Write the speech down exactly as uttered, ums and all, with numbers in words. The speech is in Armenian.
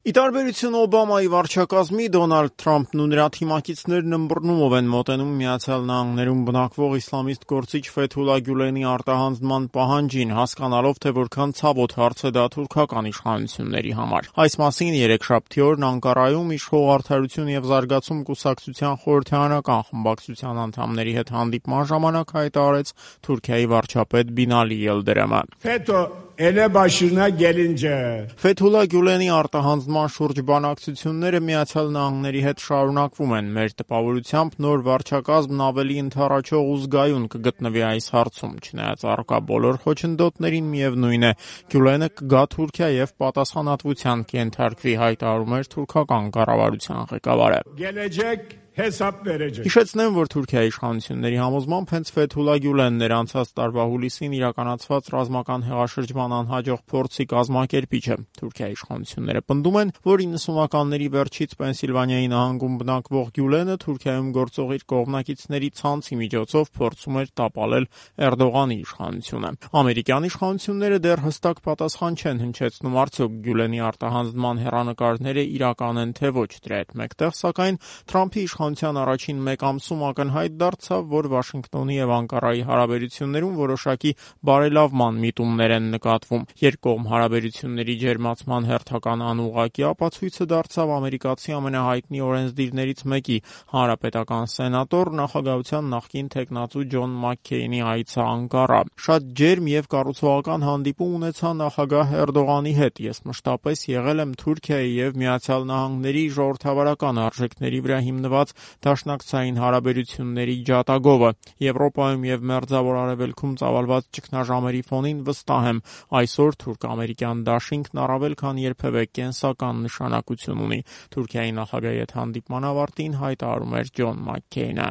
Ի տարբերություն Օբամայի վարչակազմի, Դոնալդ Թրամփն ու նրա թիմակիցներն ըմբռնումով են մոտենում Միացյալ Նահանգներում բնակվող իսլամիստ գործիչ Ֆեթուլա Գյուլենի արտահանձնման պահանջին, հասկանալով, թե որքան ցավոտ հարց է դա թուրքական իշխանությունների համար։ Այս մասին երեքշաբթի օրն Անկարայում իշխող Արդարություն և զարգացում կուսակցության խորհրդարանական խմբակցության անդամների հետ հանդիպման ժամանակ հայտարարեց Թուրքիայի վարչապետ Բինալի Ելդրեմը։ Ele başına gelince Ֆեթուլա Գյուլենի արտահանձնման շուրջ բանակցությունները Միացյալ Նահանգների հետ շարունակվում են։ Մեր տպավորությամբ նոր վարչակազմն ավելի ընդառաջող ու զգայուն կգտնվի այս հարցում, չնայած առկա բոլոր խոչընդոտներին միևնույն է, Գյուլենը կգա Թուրքիա և պատասխանատվության կենթարկվի, հայտարարում էր թուրքական կառավարության ղեկավարը։ gelecek hesap verecek. Հիշեցնեմ, որ Թուրքիայի իշխանությունների համոզմամբ հենց Ֆեթուլա Գյուլենն էր անցած տարվա հուլիսին իրականացված ռազմական հեղաշրջման անհաջող փորձի կազմակերպիչը։ Թուրքիայի իշխանությունները պնդում են, որ իննսունականների վերջից Պենսիլվանիայի նահանգում բնակվող Գյուլենը Թուրքիայում գործող իր կողմնակիցների ցանցի միջոցով փորձում էր տապալել Էրդողանի իշխանությունը։ Ամերիկյան իշխանությունները դեռ հստակ պատասխան չեն հնչեցնում, արդյոք Գյուլենի արտահանձնման հեռանկարները իրական են թե ոչ։ Դրա հետ մեկտեղ, սակայն, Թրամփի իշխանության առաջին մեկ ամսում ակնհայտ դարձավ, որ Վաշինգտոնի և Անկարայի հարաբերություններում որոշակի բարելավման միտումներ են նկատվում։ Երկկողմ հարաբերությունների ջերմացման հերթական անուղղակի ապացույցը դարձավ ամերիկացի ամենահայտնի օրենսդիրներից մեկի, հանրապետական սենատոր, նախագահության նախկին թեկնածու Ջոն Մաքքեյնի այցը Անկարա։ Շատ ջերմ և կառուցողական հանդիպում ունեցա նախագահ Էրդողանի հետ։ Ես մշտապես եղել եմ Թուրքիայի և Միացյալ Նահանգների ժողովրդավարական արժեքների վրա հիմնված դաշնակցային հարաբերությունների ջատագովը։ Եվրոպայում և Մերձավոր Արևելքում ծավալված ճգնաժամերի ֆոնին վստահ եմ, այսօր թուրք-ամերիկյան դաշինքն առավել քան երբևէ կենսական նշանակություն ունի, Թուրքիայի նախագահի հետ հանդիպման ավարտին հայտարարում էր Ջոն Մաքքեյնը։